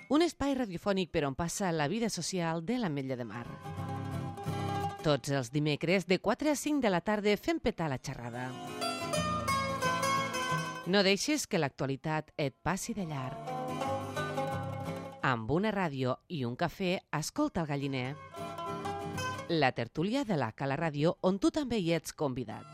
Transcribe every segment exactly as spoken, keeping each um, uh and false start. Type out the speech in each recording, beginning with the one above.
un espai radiofònic per on passa la vida social de l'Ametlla de Mar. Tots els dimecres, de quatre a cinc de la tarda, fem petar la xerrada. No deixes que l'actualitat et passi de llarg. Amb una ràdio i un cafè, escolta el Galliner. La tertúlia de la Cala Ràdio, on tu també hi ets convidat.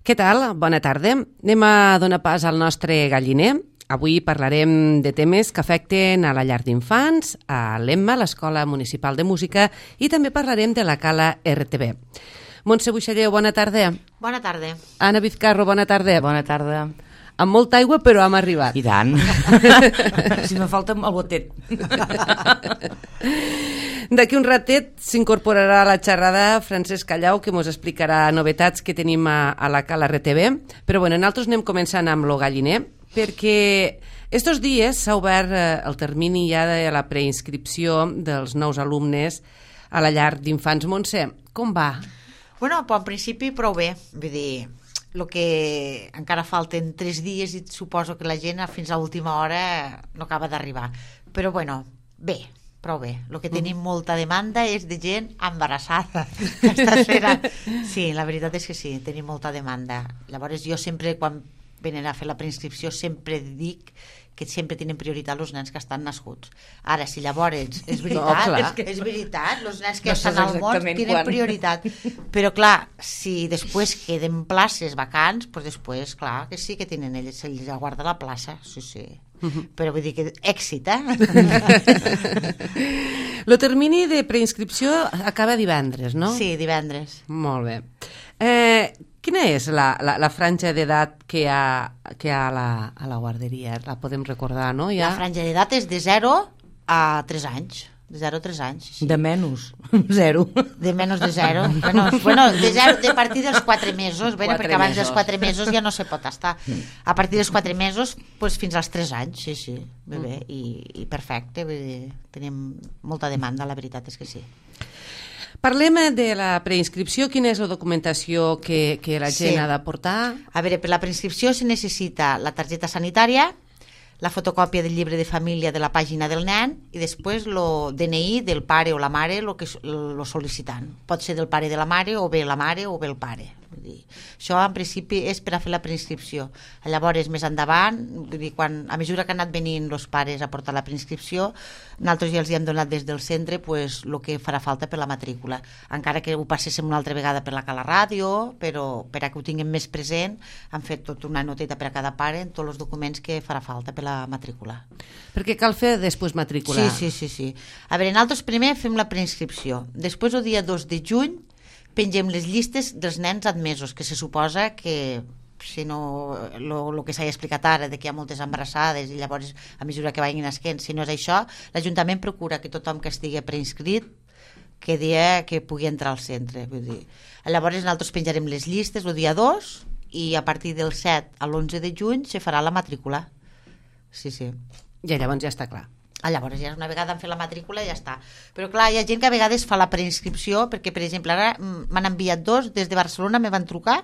Què tal? Bona tarda. Anem a donar pas al nostre galliner. Avui parlarem de temes que afecten a la llar d'infants, a l'Emma, l'Escola Municipal de Música, i també parlarem de la Cala R T B. Montse Buixalleu, bona tarda. Bona tarda. Anna Vizcarro, bona tarda. Bona tarda. Amb molta aigua, però hem arribat. I tant. Si me falta el botet. D'aquí un ratet s'incorporarà a la xerrada Francesc Callau, que ens explicarà novetats que tenim a, a la Cala R T B. Però bueno, nosaltres anem començant amb lo galliner, perquè estos dies s'ha obert eh, el termini ja de la preinscripció dels nous alumnes a la llar d'infants. Montse, com va? Bueno, però en principi prou bé. Vull dir, el que encara falten tres dies i suposo que la gent fins a última hora no acaba d'arribar. Però bueno, bé, prou bé. El que tenim molta demanda és de gent embarassada. Sí, la veritat és que sí, tenim molta demanda. Llavors jo sempre, quan venen a fer la preinscripció, sempre dic que sempre tenen prioritat els nens que estan nascuts. Ara, si llavors és veritat, no, és, que és veritat, els nens que no estan al món tenen quan. prioritat. Però clar, si després queden places vacants, doncs després, clar, que sí que tenen ells, se'ls aguarda la plaça, sí, sí. Uh-huh. Però vull dir que èxit, eh? El termini de preinscripció acaba divendres, no? Sí, divendres. Molt bé. Eh, quina és la, la, la franja d'edat que hi ha, que hi ha a, la, a la guarderia? La podem recordar, no? Ja... La franja d'edat és de zero a tres anys. De zero a tres anys. Sí. De menys, zero. De menys de zero. Bueno, bueno de, zero, de partir dels quatre mesos, bueno, quatre perquè abans mesos. dels quatre mesos ja no se pot estar. A partir dels quatre mesos, pues, fins als tres anys, sí, sí. Bé, bé. I, i perfecte, vull dir, tenim molta demanda, la veritat és que sí. Parlem de la preinscripció. Quina és la documentació que, que la gent sí. ha de portar? A veure, per la preinscripció se necessita la targeta sanitària, la fotocòpia del llibre de família de la pàgina del nen i després el D N I del pare o la mare, el que lo sol·licitant. Pot ser del pare de la mare, o bé la mare o bé el pare. Vull dir, això en principi és per a fer la preinscripció. Llavors, més endavant, vull dir, quan, a mesura que han anat venint els pares a portar la preinscripció, nosaltres ja els hi hem donat des del centre pues, el que farà falta per la matrícula. Encara que ho passéssim una altra vegada per la Cala Ràdio, però per a que ho tinguem més present, han fet tota una noteta per a cada pare en tots els documents que farà falta per la matrícula. Perquè cal fer després matrícula. Sí, sí, sí, sí. A veure, nosaltres primer fem la preinscripció. Després, el dia dos de juny, pengem les llistes dels nens admesos, que se suposa que si no, el que s'ha explicat ara, de que hi ha moltes embarassades i llavors a mesura que vagin nasquent, si no és això, l'Ajuntament procura que tothom que estigui preinscrit que dia que pugui entrar al centre. Vull dir. Llavors nosaltres penjarem les llistes el dia dos i a partir del set a l'onze de juny se farà la matrícula. Sí, sí. I llavors ja està clar. Ah, llavors ja una vegada han fet la matrícula i ja està. Però clar, hi ha gent que a vegades fa la preinscripció perquè, per exemple, ara m'han enviat dos des de Barcelona, me van trucar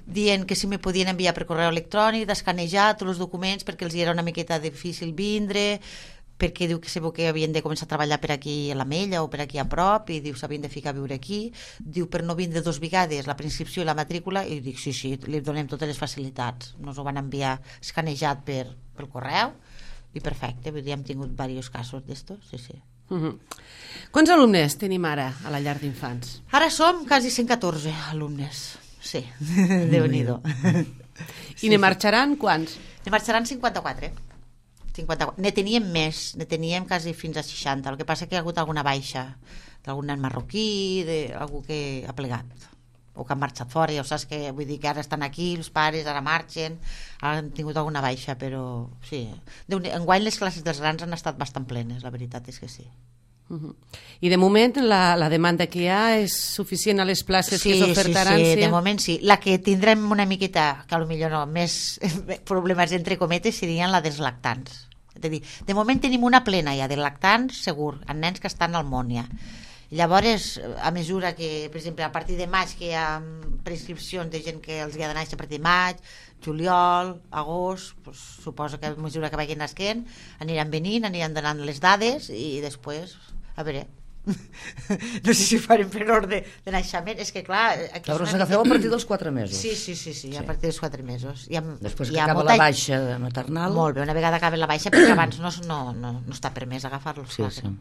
dient que si me podien enviar per correu electrònic, d'escanejar tots els documents perquè els era una miqueta difícil vindre, perquè diu que sabeu que havien de començar a treballar per aquí a l'Ametlla o per aquí a prop, i diu s'havien de ficar a viure aquí, diu per no vindre dos vegades la preinscripció i la matrícula, i dic sí, sí, li donem totes les facilitats, nos ho van enviar escanejat per, pel correu, i perfecte, vull dir, hem tingut diversos casos d'estos, sí, sí. Uh-huh. Quants alumnes tenim ara a la llar d'infants? Ara som quasi cent catorze alumnes. Sí, Déu-n'hi-do. I ne marxaran quants? Ne marxaran cinquanta-quatre. cinquanta-quatre. Ne teníem més, ne teníem quasi fins a seixanta. El que passa que hi ha hagut alguna baixa d'algun nen marroquí, d'algú que ha plegat o que han marxat fora, ja ho saps, que vull dir que ara estan aquí, els pares ara marxen, ara han tingut alguna baixa, però sí. Enguany les classes dels grans han estat bastant plenes, la veritat és que sí. Uh-huh. I de moment la, la demanda que hi ha és suficient a les places sí, que s'ofertaran? Sí, sí, de moment sí. La que tindrem una miqueta, que potser no, més problemes entre cometes serien la dels lactants. És a dir, de moment tenim una plena ja de lactants segur, en nens que estan al món ja. Llavors, a mesura que, per exemple, a partir de maig que hi ha prescripcions de gent que els hi ha de néixer a partir de maig, juliol, agost, pues, suposo que a mesura que vagin nasquent aniran venint, aniran donant les dades i després, a veure, no sé si farem per ordre de naixement, és que clar... Llavors agafeu a partir dels quatre mesos. Sí, sí, sí, sí, a partir dels quatre mesos. Hi ha, després hi que ha acaba molta... la baixa maternal... Molt bé, una vegada acaba la baixa, perquè abans no, no, no, no està permès agafar-los. Sí, sí.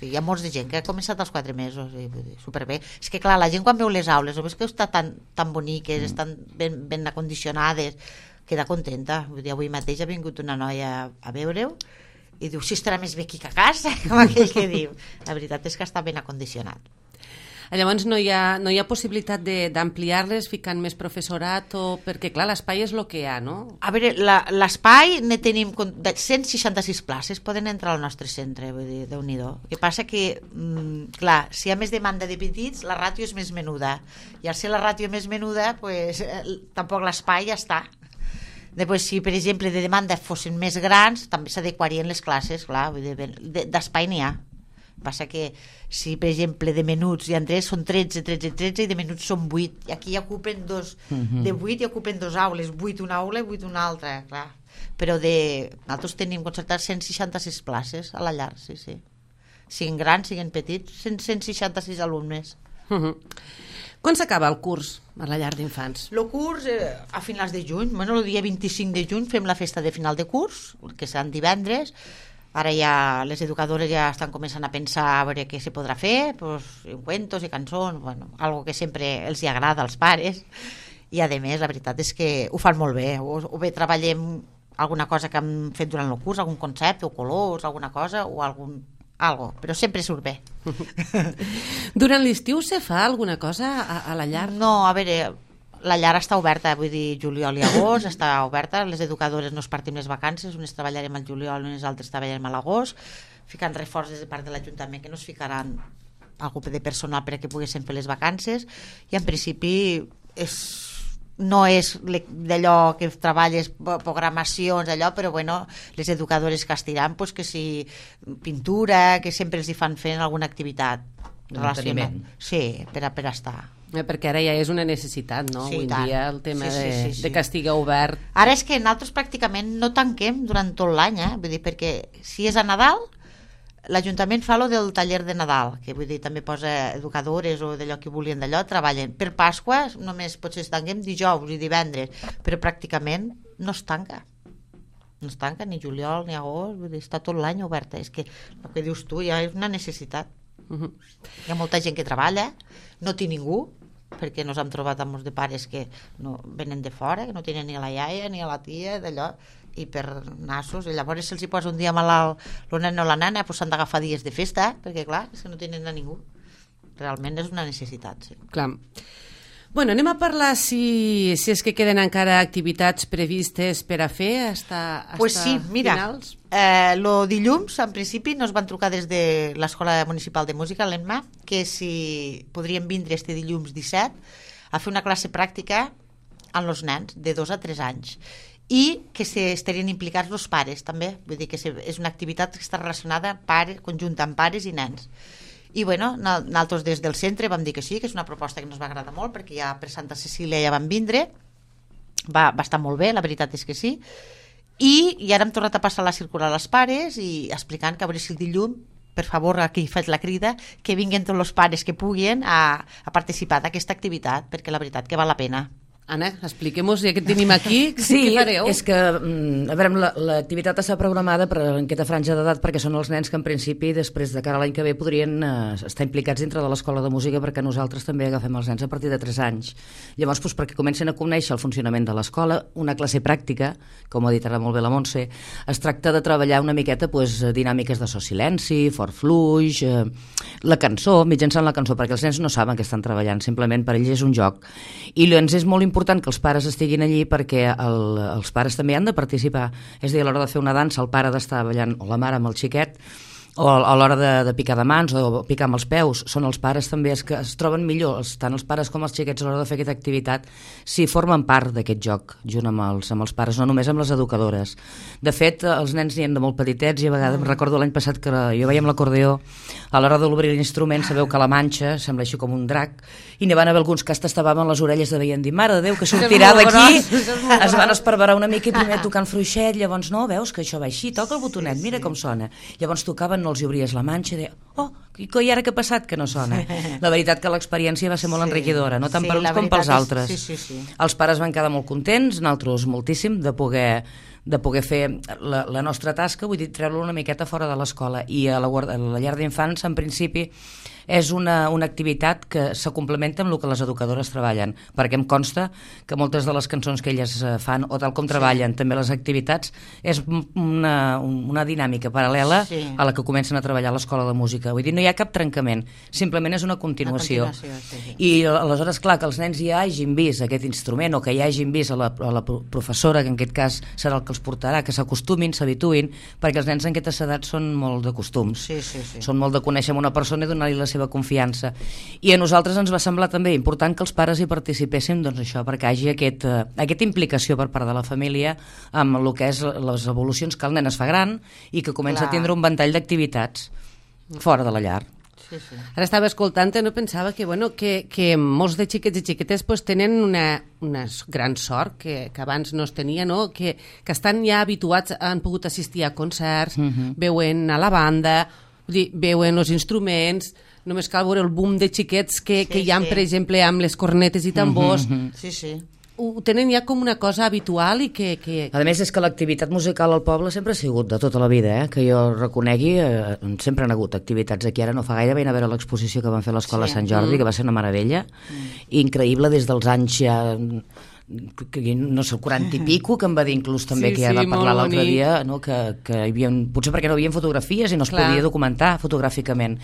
Hi ha molts de gent que ha començat als quatre mesos i superbé. És que clar, la gent quan veu les aules o ves que està tan, tan boniques, mm. estan ben, ben acondicionades, queda contenta. Vull dir, avui mateix ha vingut una noia a veure-ho i diu, si estarà més bé aquí que a casa, com aquell que diu. La veritat és que està ben acondicionat. Llavors no hi ha, no hi ha possibilitat d'ampliar-les ficant més professorat o... perquè clar, l'espai és el que hi ha, no? A veure, l'espai ne tenim cent seixanta-sis places, poden entrar al nostre centre, vull dir, Déu-n'hi-do. El que passa que, mm, clar, si hi ha més demanda de petits, la ràtio és més menuda, i al ser la ràtio més menuda, pues, eh, tampoc l'espai ja està. Després, si per exemple de demanda fossin més grans, també s'adequarien les classes, clar, vull dir, d'espai n'hi ha. Passa que si per exemple de menuts hi ha tres, són tretze, tretze, tretze i de menuts són vuit, i aquí ja ocupen dos, uh-huh. de vuit i ocupen dos aules, vuit una aula i vuit una altra, clar. Però de... nosaltres tenim concertats cent seixanta-sis places a la llar, sí, sí. Siguin grans, siguin petits, cent seixanta-sis alumnes. Uh-huh. Quan s'acaba el curs a la llar d'infants? El curs eh, a finals de juny, bueno, el dia vint-i-cinc de juny fem la festa de final de curs, que seran divendres. Ara ja les educadores ja estan començant a pensar a veure què se podrà fer, pues, cuentos i cançons, bueno, algo que sempre els hi agrada als pares, i a més la veritat és que ho fan molt bé, o, o bé treballem alguna cosa que hem fet durant el curs, algun concepte o colors, alguna cosa, o algun algo, però sempre surt bé. Durant l'estiu se fa alguna cosa a, a la llar? No, a veure, la llar està oberta, vull dir, juliol i agost està oberta, les educadores no es partim les vacances, unes treballarem al juliol, unes altres treballarem a l'agost, ficant reforç des de part de l'Ajuntament que no es ficaran algú de personal perquè poguessin fer les vacances, i en principi és, no és d'allò que treballes programacions, allò, però bueno, les educadores que estiran, pues, que si pintura, que sempre els hi fan fent alguna activitat relacionada. Sí, per a, per a estar. Eh, perquè ara ja és una necessitat, no? Sí, avui en tant. dia el tema Sí, sí, de, sí, sí. de que estigui obert. Ara és que nosaltres pràcticament no tanquem durant tot l'any, eh? Vull dir, perquè si és a Nadal, l'Ajuntament fa lo del taller de Nadal, que vull dir, també posa educadores o d'allò que volien d'allò, treballen. Per Pasqua només potser es tanquem dijous i divendres, però pràcticament no es tanca. No es tanca ni juliol ni agost, vull dir, està tot l'any oberta. És que el que dius tu ja és una necessitat. Uh-huh. Hi ha molta gent que treballa, no té ningú, perquè nos hem trobat amb molts de pares que no, venen de fora, que no tenen ni a la iaia ni a la tia, d'allò, i per nassos, i llavors se'ls hi posa un dia malalt el nen o la nana, doncs s'han d'agafar dies de festa, perquè clar, és que no tenen a ningú. Realment és una necessitat, sí. Clar. Bueno, anem a parlar si, si és que queden encara activitats previstes per a fer hasta, hasta pues sí, mira, finals. Eh, lo dilluns, en principi, nos van trucar des de l'Escola Municipal de Música, l'ENMA, que si podríem vindre este dilluns disset a fer una classe pràctica amb els nens de dos a tres anys i que se estarien implicats els pares també, vull dir que és una activitat que està relacionada pare, conjunta amb pares i nens. I bueno, nosaltres des del centre vam dir que sí, que és una proposta que ens va agradar molt, perquè ja per Santa Cecília ja van vindre va, va estar molt bé, la veritat és que sí. I, i ara hem tornat a passar la circular als pares i explicant que a veure si el dilluns, per favor, aquí faig la crida, que vinguin tots els pares que puguin a, a participar d'aquesta activitat, perquè la veritat que val la pena. Anna, expliquem-nos, ja que tenim aquí, sí, què fareu? És que, a veure, l'activitat està programada per aquesta franja d'edat perquè són els nens que en principi després de cara a l'any que ve podrien eh, estar implicats dintre de l'escola de música, perquè nosaltres també agafem els nens a partir de tres anys. Llavors, doncs, perquè comencen a conèixer el funcionament de l'escola, una classe pràctica, com ha dit ara molt bé la Montse, es tracta de treballar una miqueta doncs, dinàmiques de so silenci, fort fluix, eh, la cançó, mitjançant la cançó, perquè els nens no saben que estan treballant, simplement per ells és un joc. I ens és molt important important que els pares estiguin allí perquè el, els pares també han de participar. És a dir, a l'hora de fer una dansa el pare ha d'estar ballant, o la mare amb el xiquet, o a l'hora de, de picar de mans o picar amb els peus, són els pares també els que es troben millor, tant els pares com els xiquets a l'hora de fer aquesta activitat, si formen part d'aquest joc junt amb els, amb els pares, no només amb les educadores. De fet, els nens n'hi han de molt petitets i a vegades, mm. recordo l'any passat que jo veia amb l'acordeó, a l'hora d'obrir l'instrument sabeu que la manxa sembla així com un drac, i n'hi van haver alguns que estaven les orelles de veient dir, mare de Déu, que sortirà d'aquí, es van esparverar una mica i primer tocant fluixet, llavors no, veus que això va així, toca el botonet, mira com sona, llavors tocaven, no els hi obries la manxa i deia, oh, i ara què ha passat que no sona? La veritat que l'experiència va ser molt sí, enriquidora, no tant sí, per uns com pels altres. És, sí, sí, sí. Els pares van quedar molt contents, nosaltres moltíssim, de poder, de poder fer la, la nostra tasca, vull dir, treure-lo una miqueta fora de l'escola. I a la, a la llar d'infants, en principi, és una, una activitat que se complementa amb el que les educadores treballen, perquè em consta que moltes de les cançons que elles fan, o tal com treballen, sí. també les activitats, és una, una dinàmica paral·lela sí. a la que comencen a treballar a l'escola de música. Vull dir, no hi ha cap trencament, simplement és una continuació. Una continuació sí, sí. I aleshores, clar, que els nens ja hagin vist aquest instrument, o que ja hagin vist a la, a la professora, que en aquest cas serà el que els portarà, que s'acostumin, s'habituïn, perquè els nens en aquestes edats són molt de costums. Sí, sí, sí. Són molt de conèixer una persona i donar-li la seva confiança. I a nosaltres ens va semblar també important que els pares hi participéssim, doncs això, perquè hi hagi aquest, uh, aquesta implicació per part de la família amb el que és les evolucions que el nen es fa gran i que comença Clar. a tindre un ventall d'activitats fora de la llar. Sí, sí. Ara estava escoltant i no pensava que, bueno, que, que molts de xiquets i xiquetes pues, tenen una, una gran sort que, que abans no es tenia, no? que, que estan ja habituats, han pogut assistir a concerts, uh-huh. veuen a la banda, vull dir, veuen els instruments, només cal veure el boom de xiquets que, sí, que hi ha, sí. per exemple, amb les cornetes i tambors. Uh-huh. Sí, sí. Ho tenen ja com una cosa habitual i que... que... A més, és que l'activitat musical al poble sempre ha sigut de tota la vida, eh? Que jo reconegui, eh, sempre han hagut activitats aquí. Ara no fa gaire, vaig a veure l'exposició que van fer a l'Escola sí. Sant Jordi, mm. que va ser una meravella, mm. increïble des dels anys ja... que no sé, quaranta i pico, que em va dir inclús també sí, que ja sí, va parlar l'altre dia, no? que, que hi havia, potser perquè no hi havia fotografies i no es Clar. podia documentar fotogràficament,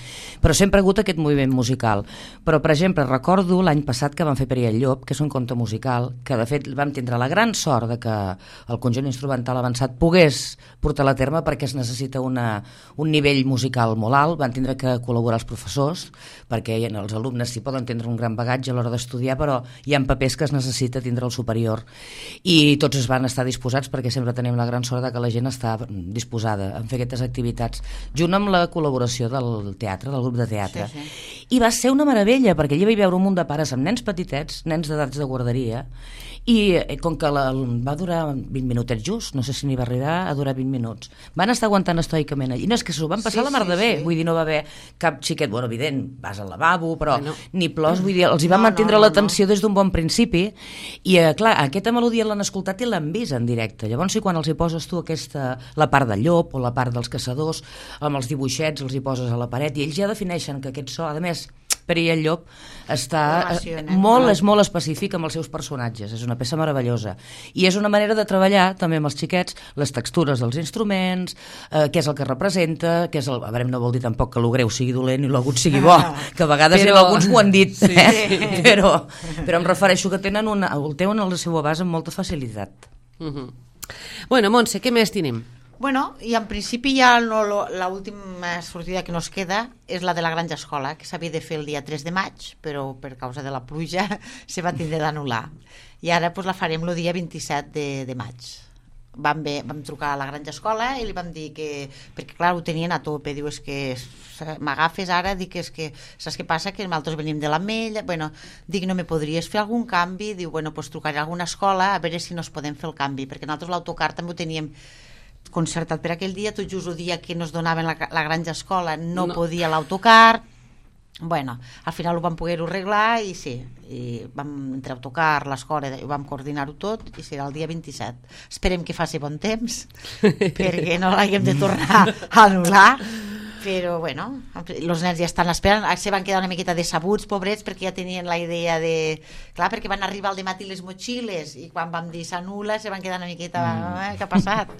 però sempre ha hagut aquest moviment musical. Però, per exemple, recordo l'any passat que van fer Per i el Llop, que és un conte musical, que de fet vam tindre la gran sort de que el conjunt instrumental avançat pogués portar a terme perquè es necessita una, un nivell musical molt alt, van tindre que col·laborar els professors, perquè els alumnes sí poden tindre un gran bagatge a l'hora d'estudiar, però hi ha papers que es necessita tindre el superior, i tots es van estar disposats, perquè sempre tenim la gran sort de que la gent està disposada a fer aquestes activitats, junt amb la col·laboració del teatre, del grup de teatre. Sí, sí. I va ser una meravella, perquè allà hi va veure un munt de pares amb nens petitets, nens d'edats de guarderia, i com que la, va durar vint minutets just, no sé si n'hi va arribar a durar vint minuts, van estar aguantant estoicament allí, no, és que s'ho van passar sí, la mar de bé, sí. vull dir, no va haver cap xiquet, bueno, evident, vas al lavabo, però no. ni plors, vull dir, els hi va no, mantindre no, no, l'atenció no. des d'un bon principi, i eh, clar, aquesta melodia l'han escoltat i l'han vist en directe, llavors si quan els hi poses tu aquesta, la part del llop o la part dels caçadors, amb els dibuixets els hi poses a la paret, i ells ja defineixen que aquest so, a més, Per i el Llop està molt, és molt específic amb els seus personatges, és una peça meravellosa, i és una manera de treballar també amb els xiquets les textures dels instruments, eh, què és el que representa, què és el... a veure, no vol dir tampoc que lo greu sigui dolent i l'agut sigui bo, que a vegades però... alguns ho han dit, sí, eh? sí. però, però em refereixo que tenen una, el tenen el seu abast amb molta facilitat. Uh-huh. Bueno, Montse, què més tenim? Bueno, i en principi ja no, l'última sortida que nos queda és la de la Granja Escola, que s'havia de fer el dia tres de maig, però per causa de la pluja se va tindre d'anul·lar. I ara pues, la farem el dia vint-i-set de, de maig. vam, ve, vam trucar a la Granja Escola i li vam dir que, perquè clar, ho tenien a tope, diu, és que m'agafes ara, dic, és que saps què passa, que nosaltres venim de l'Ametlla, bueno, dic, no me podries fer algun canvi? Diu, bueno, pues trucaré a alguna escola a veure si no es podem fer el canvi, perquè nosaltres l'autocar també ho teníem concertat per aquell dia, tot just el dia que nos donaven la, la Granja Escola no, no. podia l'autocar. Bueno, al final ho vam poder arreglar i sí, i vam entre autocar, l'escola, ho vam coordinar-ho tot i serà el dia vint-i-set. Esperem que faci bon temps perquè no l'haguem de tornar a anul·lar, però bueno, els nens ja estan esperant, se van quedar una miqueta decebuts, pobrets, perquè ja tenien la idea de... Clar, perquè van arribar al dematí les motxilles i quan vam dir s'anul·la se van quedar una miqueta... Mm. Eh, què ha passat?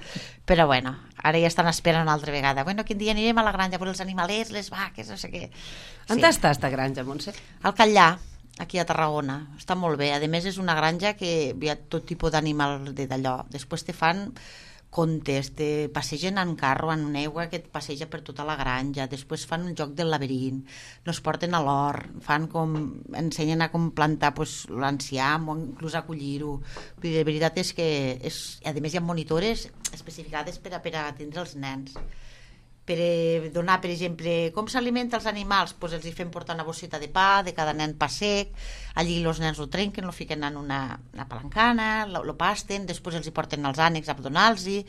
Però bueno, ara ja estan esperant una altra vegada. Bueno, quin dia anirem a la granja per els animalets, les vaques, no sé què. Sí. On està esta granja, Montse? Al Catllà, aquí a Tarragona. Està molt bé. A més, és una granja que hi ha tot tipus d'animal d'allò. Després te fan contes, te passegen en carro, en una aigua que et passeja per tota la granja, després fan un joc del laberint, nos porten a l'hort, fan com, ensenyen a com plantar pues, l'enciam o inclús a collir-ho. De veritat és que, és, a més hi ha monitores especificades per a, per a atendre els nens. Per donar, per exemple, com s'alimenta els animals, doncs els hi fem portar una bosseta de pa, de cada nen pa sec, allí els nens ho trenquen, ho fiquen en una, una palancana, lo, lo pasten, després els hi porten els ànecs a donar-los-hi.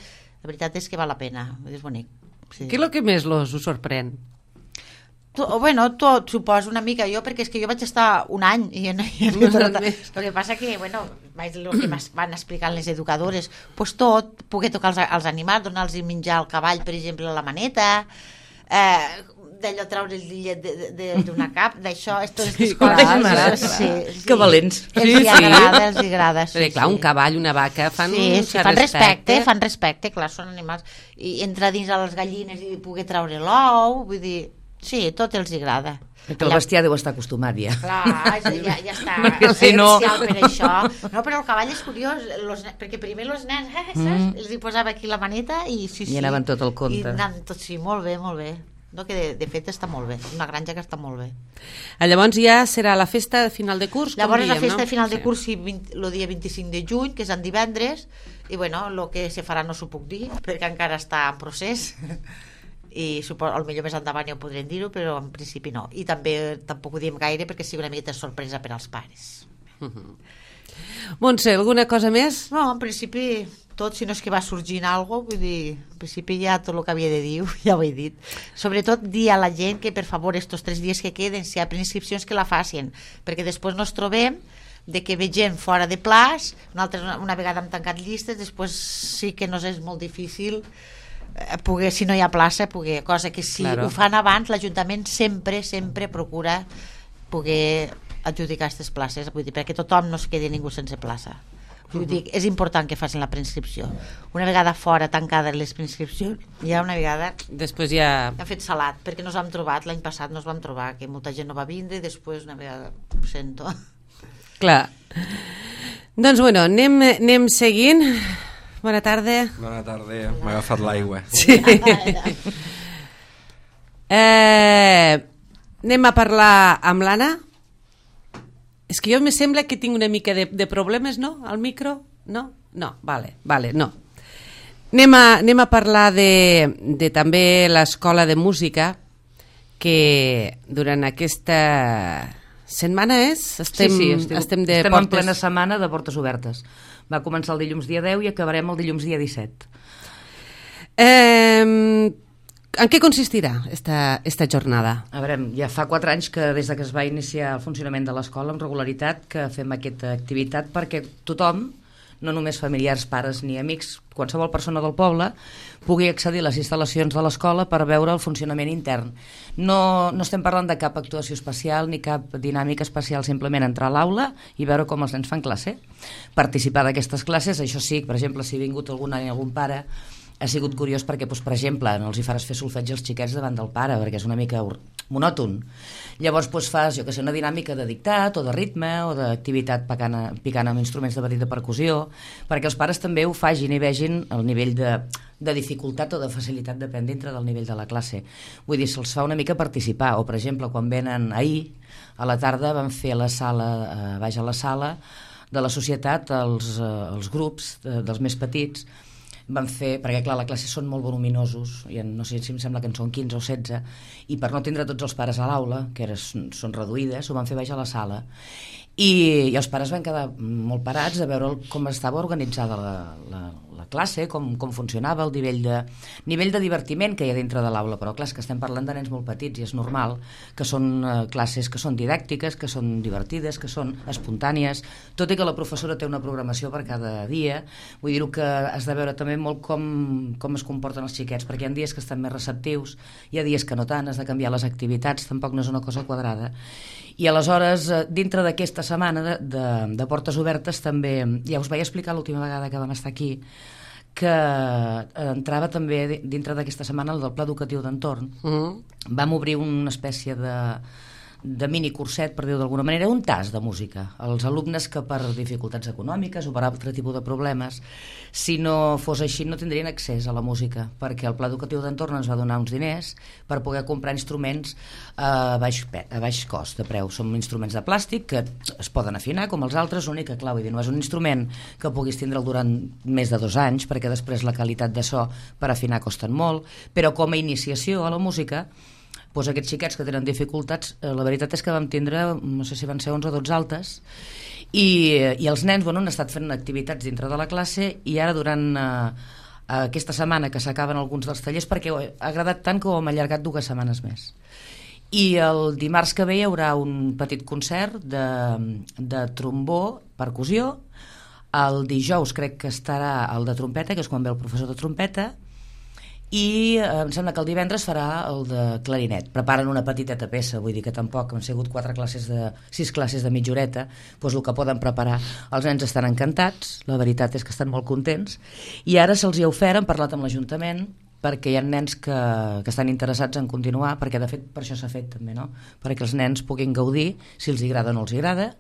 La veritat és que val la pena, és bonic. Sí. Què és el que més los us sorprèn? Bueno, tot, suposo una mica jo, perquè és que jo vaig estar un any i no hi havia tot. El que passa que, bueno, el que van explicant les educadores, pues tot, poder tocar els, els animals, donar-los menjar al cavall, per exemple, a la maneta, eh, d'allò treure el lillet d'una cap, d'això, totes les coses. Sí, sí. Que valents. Els sí, hi agrada, els hi agrada. Sí, clar, un cavall, una vaca, fan sí, un sí, fan respecte, fan respecte, clar, són animals. I entrar dins a les gallines i poder treure l'ou, vull dir... Sí, tot els agrada. Perquè el bestiar deu estar acostumat ja. Clar, ja, ja està no, si no... per això. No, però el cavall és curiós, los, perquè primer els nens, eh, saps? Mm. Els hi posava aquí la maneta i sí, sí. I anaven tot el compte. I anaven tot, sí, molt bé, molt bé. No, que de, de fet està molt bé, una granja que està molt bé. Llavors ja serà la festa de final de curs, Llavors com diem, la festa no? de final de sí. curs sí, el dia vint-i-cinc de juny, que és en divendres, i bueno, el que se farà no s'ho puc dir, perquè encara està en procés. I suposo, potser més endavant ja ho podrem dir-ho, però en principi no, i també tampoc ho diem gaire perquè sigui una miqueta sorpresa per als pares. uh-huh. Montse, alguna cosa més? No, en principi tot, si no és que va sorgint alguna cosa, vull dir, en principi ja tot el que havia de dir ja ho he dit. Sobretot dir a la gent que per favor estos tres dies que queden, si hi ha preinscripcions que la facin, perquè després nos trobem de que ve gent fora de plaç, una, altra, una vegada hem tancat llistes, després sí que nos és molt difícil poder, si no hi ha plaça, poder, cosa que si claro. Ho fan abans, l'Ajuntament sempre, sempre procura poder adjudicar aquestes places, vull dir, perquè tothom no es quedi ningú sense plaça. Vull uh-huh. dir, és important que facin la preinscripció. Una vegada fora tancades les preinscripcions, ja una vegada després ja... ha fet salat, perquè nos vam trobat, l'any passat nos vam trobar que molta gent no va vindre i després una vegada ho sento. Clar. Doncs bueno, anem, anem seguint. Bona tarda. Bona tarda, m'ha agafat l'aigua. Sí. eh, anem a parlar amb l'Anna. És que jo me sembla que tinc una mica de, de problemes, no? Al micro? No? No, vale, vale, no. Anem a, anem a parlar de, de també l'escola de música, que durant aquesta setmana és? Estem, sí, sí, estem, estem, de estem portes... en plena setmana de portes obertes. Va començar el dilluns dia deu i acabarem el dilluns dia disset. Eh, en què consistirà esta, esta jornada? A veure, ja fa quatre anys que des de que es va iniciar el funcionament de l'escola amb regularitat que fem aquesta activitat perquè tothom, no només familiars, pares ni amics, qualsevol persona del poble pugui accedir a les instal·lacions de l'escola per veure el funcionament intern. No, no estem parlant de cap actuació especial ni cap dinàmica especial, simplement entrar a l'aula i veure com els nens fan classe. Participar d'aquestes classes, això sí, per exemple, si ha vingut algun, algun pare, ha sigut curiós perquè, doncs, per exemple, no els hi faràs fer solfeig als xiquets davant del pare, perquè és una mica monòton. Llavors doncs, fas, jo que sé, una dinàmica de dictat o de ritme o d'activitat picant, picant amb instruments de petita percussió, perquè els pares també ho facin i vegin el nivell de, de dificultat o de facilitat depèn dintre del nivell de la classe. Vull dir, se'ls fa una mica participar, o per exemple, quan venen ahir, a la tarda vam fer a la sala, eh, baix a la sala de la societat, els, eh, els grups de, dels més petits, vam fer, perquè clar, la classe són molt voluminosos, i no sé si em sembla que en són quinze o setze, i per no tindre tots els pares a l'aula, que era, són reduïdes, ho van fer baix a la sala. I, i els pares van quedar molt parats a veure com estava organitzada la, la, la classe, com, com funcionava, el nivell de, nivell de divertiment que hi ha dintre de l'aula, però clar, és que estem parlant de nens molt petits i és normal que són eh, classes que són didàctiques, que són divertides, que són espontànies, tot i que la professora té una programació per cada dia. Vull dir-ho que has de veure també molt com, com es comporten els xiquets, perquè hi ha dies que estan més receptius, hi ha dies que no tant, has de canviar les activitats, tampoc no és una cosa quadrada. I aleshores, dintre d'aquesta setmana de, de, de portes obertes, també, ja us vaig explicar l'última vegada que vam estar aquí, que entrava també dintre d'aquesta setmana el del Pla Educatiu d'Entorn. Mm. Vam obrir una espècie de, de mini curset, per dir-ho d'alguna manera, un tas de música. Els alumnes que per dificultats econòmiques o per altre tipus de problemes, si no fos així no tindrien accés a la música, perquè el Pla Educatiu d'Entorn ens va donar uns diners per poder comprar instruments a baix, a baix cost de preu. Són instruments de plàstic que es poden afinar com els altres, l'únic que, clar, vull dir, no és un instrument que puguis tindre'l durant més de dos anys, perquè després la qualitat de so per afinar costen molt, però com a iniciació a la música, doncs aquests xiquets que tenen dificultats, eh, la veritat és que vam tindre, no sé si van ser onze o dotze altes, i, i els nens, bueno, han estat fent activitats dintre de la classe, i ara durant eh, aquesta setmana que s'acaben alguns dels tallers, perquè ha agradat tant que ho hem allargat dues setmanes més. I el dimarts que ve hi haurà un petit concert de, de trombó, percussió, el dijous crec que estarà el de trompeta, que és quan ve el professor de trompeta, i eh, em sembla que el divendres farà el de clarinet. Preparen una petiteta peça, vull dir que tampoc han sigut quatre classes de, sis classes de mitja horeta, doncs el que poden preparar. Els nens estan encantats, la veritat és que estan molt contents, i ara se'ls hi ha ofert, han parlat amb l'Ajuntament, perquè hi ha nens que, que estan interessats en continuar, perquè de fet per això s'ha fet també, no? Perquè els nens puguin gaudir, si els agrada o no els agrada.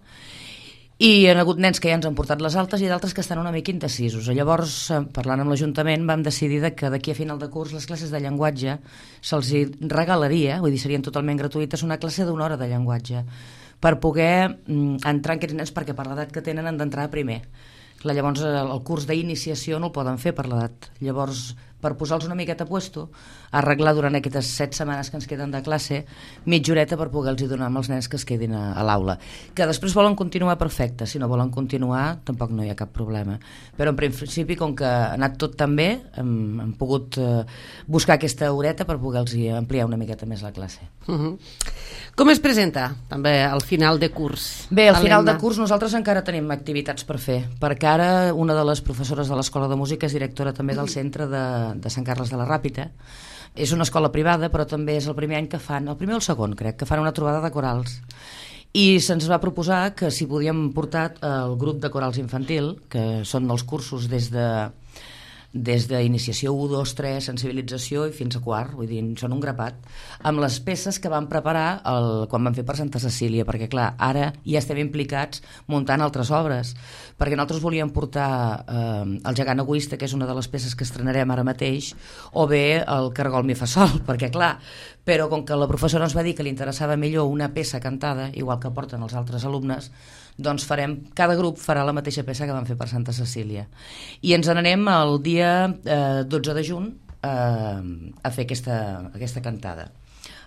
I hi ha hagut nens que ja ens han portat les altes i d'altres que estan una mica indecisos. Llavors, parlant amb l'Ajuntament, vam decidir que d'aquí a final de curs les classes de llenguatge se'ls regalaria, vull dir, serien totalment gratuïtes, una classe d'una hora de llenguatge, per poder mm, entrar en aquests nens, perquè per l'edat que tenen han d'entrar a primer. Clar, llavors el curs d'iniciació no el poden fer per l'edat. Llavors, per posar-los una miqueta a puesto, arreglar durant aquestes set setmanes que ens queden de classe mitja horeta per poder-los donar amb els nens que es quedin a, a l'aula. Que després volen continuar, perfecte. Si no volen continuar, tampoc no hi ha cap problema. Però en principi, com que ha anat tot tan bé, hem, hem pogut eh, buscar aquesta horeta per poder-los ampliar una miqueta més la classe. Uh-huh. Com es presenta també al final de curs? Bé, al final de curs nosaltres encara tenim activitats per fer, perquè ara una de les professores de l'Escola de Música és directora també del centre de, de Sant Carles de la Ràpita. És una escola privada, però també és el primer any que fan, el primer o el segon crec, que fan una trobada de corals. I se'ns va proposar que si podíem portar el grup de corals infantil, que són els cursos des de des d'iniciació u, dos, tres, sensibilització i fins a quart, vull dir, són un grapat, amb les peces que vam preparar el, quan vam fer per Santa Cecília, perquè clar, ara ja estem implicats muntant altres obres, perquè nosaltres volíem portar eh, el gegant egoista, que és una de les peces que estrenarem ara mateix, o bé el cargol mi fa sol, perquè clar, però com que la professora ens va dir que li interessava millor una peça cantada, igual que porten els altres alumnes, doncs farem, cada grup farà la mateixa peça que vam fer per Santa Cecília. I ens n'anem el dia eh, dotze de juny eh, a fer aquesta, aquesta cantada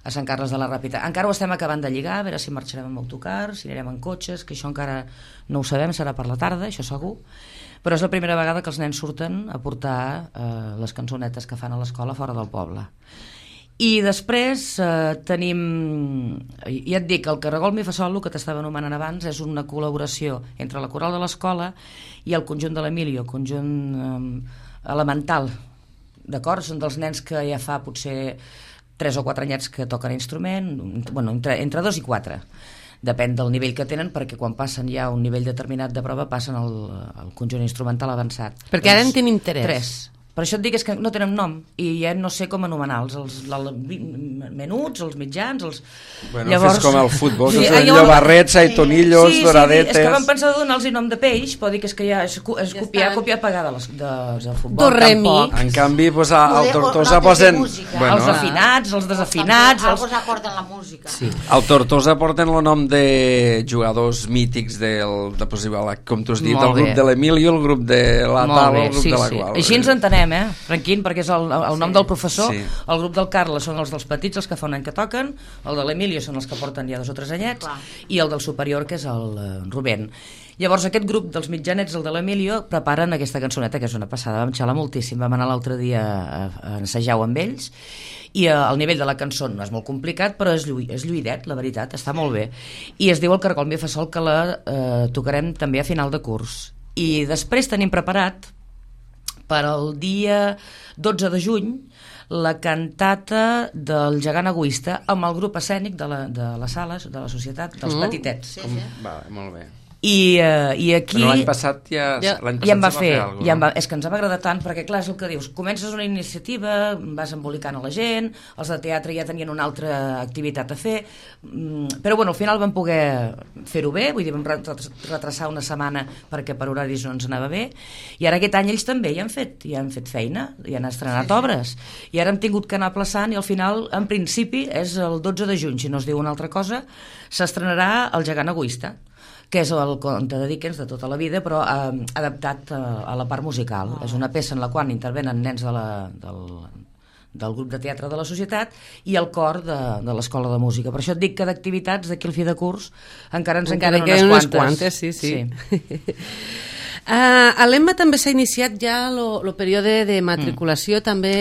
a Sant Carles de la Ràpita. Encara ho estem acabant de lligar, a veure si marxarem amb autocar, si anirem en cotxes, que això encara no ho sabem, serà per la tarda, això segur. Però és la primera vegada que els nens surten a portar eh, les cançonetes que fan a l'escola fora del poble. I després eh, tenim, ja et dic, el caragol mi fa sol, el que t'estava anomenant abans, és una col·laboració entre la coral de l'escola i el conjunt de l'Emilio, conjunt eh, elemental, d'acord? Són dels nens que ja fa potser tres o quatre anyets que toquen instrument, bueno, entre, entre dos i quatre. Depèn del nivell que tenen, perquè quan passen ja a un nivell determinat de prova passen al, al conjunt instrumental avançat. Perquè ara en tenim tres. Tres. Per això et dic és que no tenen nom i ja no sé com anomenar-los, els, els menuts, els mitjans, els... Bueno, llavors... fes com el futbol, Sí, sí, allò- llobarrets, aitonillos, sí, sí, doradetes... és que vam pensar de donar-los nom de peix, però dic és que ja és, és Ja copiar, estan. copiar pagar de les, de, del futbol. Do, re, mi. tampoc. En canvi, pues, a, al Poder- Tortosa notes de posen... música. Bueno, els Bueno, afinats, els desafinats... Algo Els... s'acorden la música. Sí. al Tortosa porten el nom de jugadors mítics del, de, pues, igual, com tu has dit, Molt el grup bé. de l'Emilio, el grup de la Molt Tal, bé, el grup sí, de la sí. qual. Així ens entenem, anomenem, eh? Franquín, perquè és el, el nom Sí. del professor. Sí. El grup del Carles són els dels petits, els que fa un any que toquen, el de l'Emilio són els que porten ja dos o tres anyets, Clar. i el del superior, que és el eh, Rubén. Llavors aquest grup dels mitjanets, el de l'Emilio, preparen aquesta cançoneta, que és una passada, vam xalar moltíssim, vam anar l'altre dia a, a ensejar-ho amb ells, i eh, el nivell de la cançó no és molt complicat, però és, lluï, és lluïdet, la veritat, està molt bé. I es diu El Cargol mi fa sol, que la eh, tocarem també a final de curs. I després tenim preparat per al dia dotze de juny la cantata del gegant egoista amb el grup escènic de, la, de les sales, de la societat, dels Mm. petitets. Sí, sí. Va, molt bé. I, uh, i aquí... Però l'any passat ja... Ja- l'any ja em va se fer, alguna ja em va, cosa, és que ens va agradar tant, perquè clar, és el que dius, comences una iniciativa, vas embolicant a la gent, els de teatre ja tenien una altra activitat a fer, mm, però bueno, al final vam poder fer-ho bé, vull dir, vam retrasar una setmana perquè per horaris no ens anava bé, i ara aquest any ells també ja han fet, ja han fet feina, ja han estrenat Sí, sí. obres, i ara hem tingut que anar aplaçant, i al final, en principi, és el dotze de juny, si no es diu una altra cosa, s'estrenarà El gegant egoista, que és el conte de Dickens de tota la vida, però eh, adaptat a, a la part musical. Oh. És una peça en la qual intervenen nens de la, del, del grup de teatre de la societat i el cor de, de l'escola de música. Per això et dic que d'activitats d'aquí al fi de curs encara ens en Encara queden queden unes unes quantes. quantes, sí, sí. sí. Uh, a l'Emma també s'ha iniciat ja el període de matriculació, mm. també...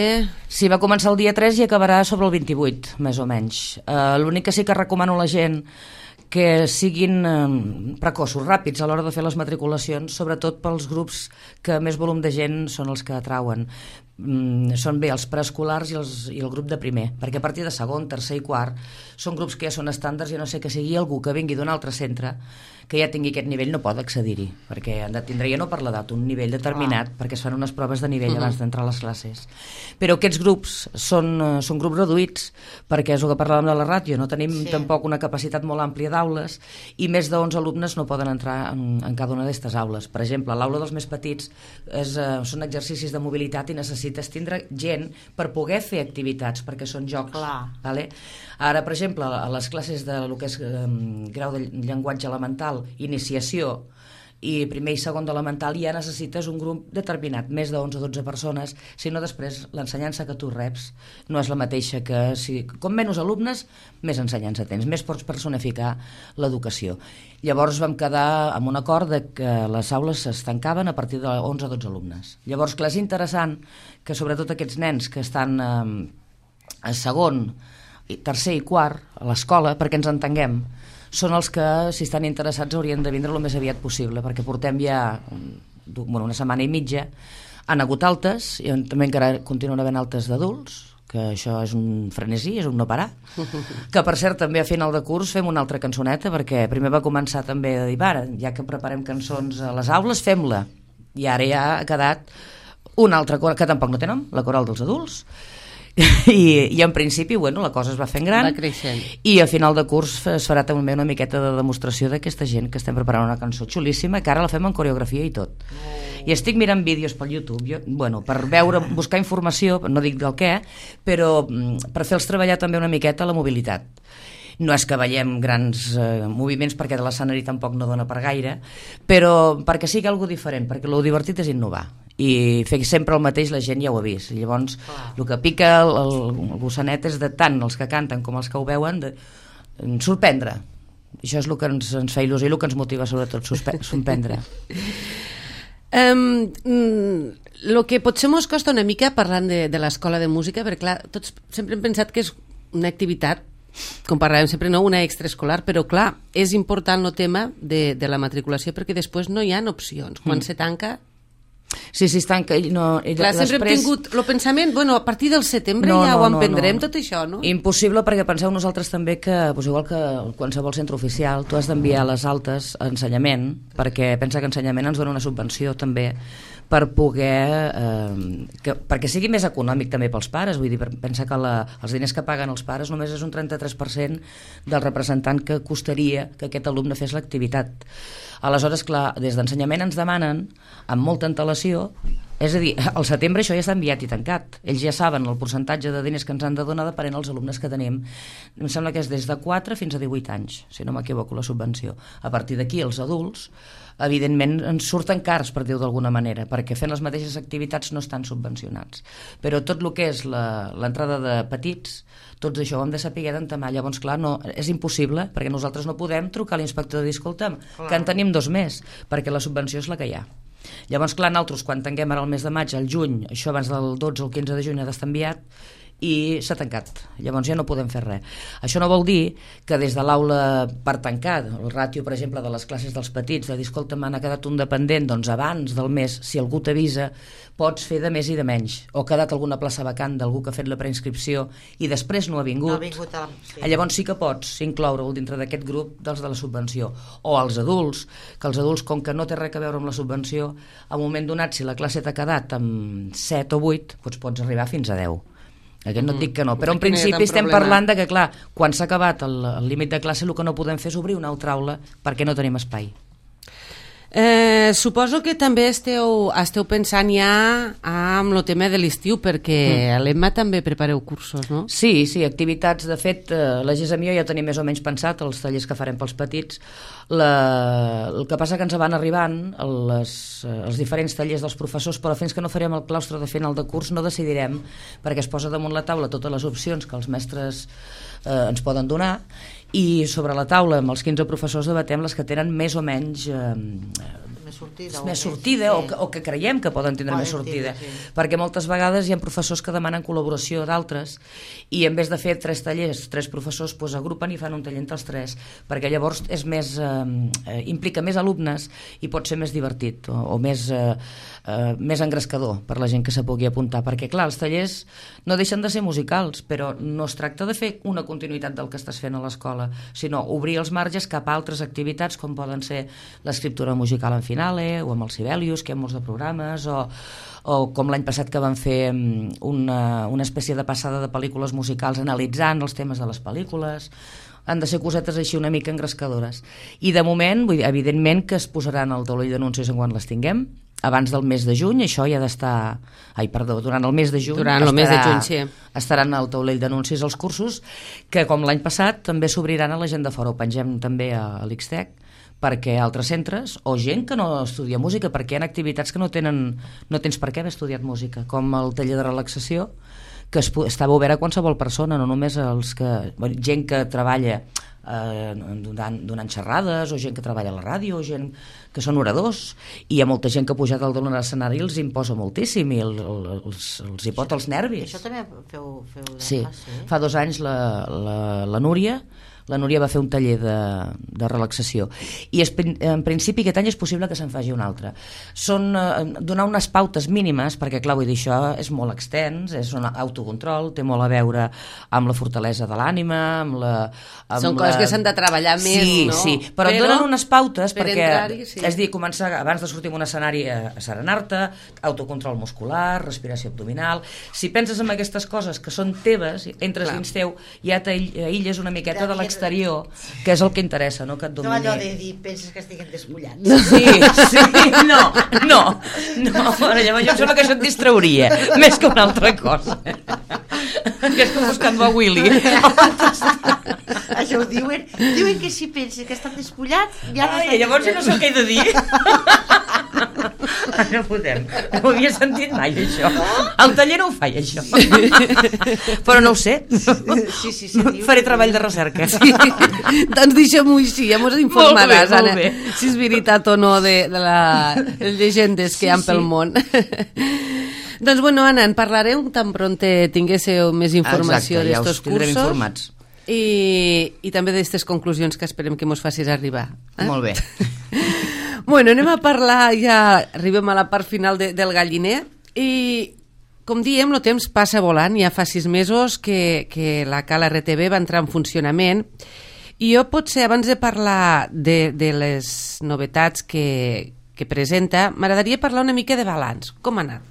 Sí, va començar el dia tres i acabarà sobre el vint-i-vuit, més o menys. Uh, L'únic que sí que recomano a la gent que siguin eh, precoços, ràpids a l'hora de fer les matriculacions, sobretot pels grups que més volum de gent són els que atrauen. Mm, són bé els preescolars i, els, i el grup de primer, perquè a partir de segon, tercer i quart són grups que ja són estàndards i a no sé que sigui algú que vingui d'un altre centre que ja tingui aquest nivell no pot accedir-hi, perquè han de tindre ja no per l'edat un nivell determinat, ah. perquè es fan unes proves de nivell uh-huh. abans d'entrar a les classes. Però aquests grups són, són grups reduïts, perquè és el que parlàvem de la ràtio, no tenim sí. tampoc una capacitat molt àmplia d'aules i més d'onze alumnes no poden entrar en, en cada una d'aquestes aules. Per exemple, l'aula dels més petits és, uh, són exercicis de mobilitat i necessites tindre gent per poder fer activitats, perquè són jocs. Clar. Vale? Ara, per exemple, a les classes de lo que és um, grau de llenguatge elemental, iniciació i primer i segon d'elemental ja necessites un grup determinat, més de onze o dotze persones, si no després l'ensenyança que tu reps no és la mateixa que si, com menys alumnes, més ensenyança tens, més pots personificar l'educació. Llavors vam quedar amb un acord de que les aules es tancaven a partir de onze o dotze alumnes. Llavors, clar, és interessant que sobretot aquests nens que estan eh, a segon, tercer i quart a l'escola, perquè ens entenguem, són els que, si estan interessats, haurien de vindre el més aviat possible, perquè portem ja bueno, una setmana i mitja, han hagut altes, i també encara continuen havent altes d'adults, que això és un frenesí, és un no parar, que per cert també a final de curs fem una altra cançoneta, perquè primer va començar també a dir, ara, ja que preparem cançons a les aules, fem-la, i ara ja ha quedat una altra coral, que tampoc no té nom, la coral dels adults, I, i en principi bueno, la cosa es va fent gran va creixent. I a final de curs es farà també una miqueta de demostració d'aquesta gent que estem preparant una cançó xulíssima que ara la fem en coreografia i tot oh. I estic mirant vídeos pel YouTube jo, bueno, per veure, buscar informació no dic del què, però per fer-los treballar també una miqueta la mobilitat. No és que veiem grans eh, moviments perquè de l'escenari tampoc no dona per gaire, però perquè sigui algo diferent, perquè el divertit és innovar i fer sempre el mateix la gent ja ho ha vist. Llavors ah. el que pica el, el, el gossanet és de tant els que canten com els que ho veuen de, de sorprendre. Això és el que ens, ens fa il·lusió i el que ens motiva sobretot sorprendre. Um, el que potser mos costa una mica parlant de, de l'escola de música, perquè clar, tots sempre hem pensat que és una activitat, com parlàvem sempre, no una extraescolar, però clar, és important el tema de, de la matriculació perquè després no hi ha opcions. Quan mm. se tanca... Sí, sí, es tanca. No, i clar, sempre després... hem tingut el pensament, bueno, a partir del setembre no, ja no, ho emprendrem, no, no. tot això, no? Impossible, perquè penseu nosaltres també que, doncs igual que qualsevol centre oficial, tu has d'enviar les altes a ensenyament, perquè pensa que ensenyament ens dona una subvenció també per poder eh, que, perquè sigui més econòmic també pels pares, vull dir, pensa que la, els diners que paguen els pares només és un trenta-tres per cent del representant que costaria que aquest alumne fes l'activitat. Aleshores, clar, des d'ensenyament ens demanen amb molta antelació És a dir, al setembre això ja està enviat i tancat. Ells ja saben el percentatge de diners que ens han de donar depenent dels alumnes que tenim. Em sembla que és des de quatre fins a divuit anys, si no m'equivoco, la subvenció. A partir d'aquí, els adults, evidentment, ens surten cars, per dir-ho d'alguna manera, perquè fent les mateixes activitats no estan subvencionats. Però tot el que és l'entrada de petits, tots això ho hem de saber d'entamar. Llavors, clar, no, és impossible, perquè nosaltres no podem trucar a l'inspector i dir, escolta'm, que en tenim dos més, perquè la subvenció és la que hi ha. Llavors, clar, nosaltres, quan tanquem ara el mes de maig, al juny, això abans del dotze o el quinze de juny ha d'estar enviat, i s'ha tancat. Llavors ja no podem fer res. Això no vol dir que des de l'aula per tancar, el ràtio, per exemple, de les classes dels petits, de dir, escolta, m'ha quedat un dependent, doncs abans del mes, si algú t'avisa, pots fer de més i de menys. O ha quedat alguna plaça vacant d'algú que ha fet la preinscripció i després no ha vingut. No ha vingut a... sí. Llavors sí que pots incloure-ho dintre d'aquest grup dels de la subvenció. O als adults, que els adults, com que no té res a veure amb la subvenció, a un moment donat, si la classe t'ha quedat amb set o vuit, doncs pots arribar fins a deu. Aquest no et dic que no, però en principi estem parlant de que, clar, quan s'ha acabat el, el límit de classe, el que no podem fer és obrir una altra aula perquè no tenim espai. Eh, suposo que també esteu, esteu pensant ja amb el tema de l'estiu, perquè mm. a l'Emma també prepareu cursos, no? Sí, sí, activitats. De fet, eh, la Gesem i jo ja tenim més o menys pensat els tallers que farem pels petits. La... El que passa que ens van arribant les, els diferents tallers dels professors, però fins que no farem el claustre de final de curs no decidirem, perquè es posa damunt la taula totes les opcions que els mestres eh, ens poden donar, i sobre la taula amb els quinze professors debatem les que tenen més o menys eh, més sortida, més sortida sí. o, que, o que creiem que poden tindre poden més sortida, tindre, sí. perquè moltes vegades hi ha professors que demanen col·laboració d'altres i en vez de fer tres tallers, tres professors pues, agrupen i fan un taller entre els tres, perquè llavors és més, eh, implica més alumnes i pot ser més divertit o, o més, eh, eh, més engrescador per la gent que se pugui apuntar, perquè clar, els tallers no deixen de ser musicals, però no es tracta de fer una continuïtat del que estàs fent a l'escola, sinó obrir els marges cap a altres activitats com poden ser l'escriptura musical en finale o amb els Sibelius, que hi ha molts de programes, o, o com l'any passat que van fer una, una espècie de passada de pel·lícules musicals analitzant els temes de les pel·lícules. Han de ser cosetes així una mica engrescadores. I de moment, vull dir, evidentment que es posaran al taulell d'anuncis en quan les tinguem, abans del mes de juny, això ja ha d'estar... Ai, perdó, durant el mes de juny... Durant el mes de juny, sí. Estaran al taulell d'anuncis els cursos, que com l'any passat també s'obriran a la gent de fora. Ho pengem també a l'Ixtec, perquè altres centres, o gent que no estudia música, perquè hi ha activitats que no tenen, no tens per què haver estudiat música, com el taller de relaxació, que es, estava obert a qualsevol persona, no només els que... gent que treballa eh, donant, donant xerrades, o gent que treballa a la ràdio, o gent que són oradors, i hi ha molta gent que ha pujat al damunt de l'escenari i els imposa moltíssim, i el, el, els, els hi pot els nervis. Això també feu, feu de sí. classe? Fa dos anys la, la, la Núria la Núria va fer un taller de, de relaxació i es, en principi aquest any és possible que se'n faci un altre. Són eh, donar unes pautes mínimes, perquè clar, vull dir, això és molt extens, és un autocontrol, té molt a veure amb la fortalesa de l'ànima, amb la... Amb Són la... coses que s'han de treballar més, sí, no? Sí, però, però et donen unes pautes per perquè, sí. és dir, començar abans de sortir en un escenari a, a serenar-te, autocontrol muscular, respiració abdominal. Si penses en aquestes coses que són teves, entres clar. Dins teu, ja t'aïlles una miqueta de l'exterior, que és el que interessa, no que et domini. No allò de dir, penses que estiguen despullats. Sí, sí, no, no, no, llavors jo em sembla que això et distrauria, més que una altra cosa. Que és com buscant a Willy. Això ho diuen, diuen que si penses que estan despullats, ja no. Ai, llavors jo no sé què he de dir. No podem, no ho havia sentit mai, això. El taller no ho fa, això. Però no ho sé. Sí, sí, sí, faré treball de recerca. Sí. Doncs deixem-ho així, ja mos informaràs, Anna, si és veritat o no de, de la, les llegendes que sí, hi ha pel sí. món. Doncs bueno, Anna, en parlareu tan pront tinguéssiu més informació d'estos cursos. Ja us informats. I, i també d'aquestes conclusions que esperem que mos facis arribar. Eh? Molt bé. Bueno, anem a parlar, ja arribem a la part final de, del galliner i com diem, el temps passa volant, ja fa sis mesos que, que la Cala R T V va entrar en funcionament i jo potser abans de parlar de, de les novetats que, que presenta, m'agradaria parlar una mica de balanç. Com ha anat?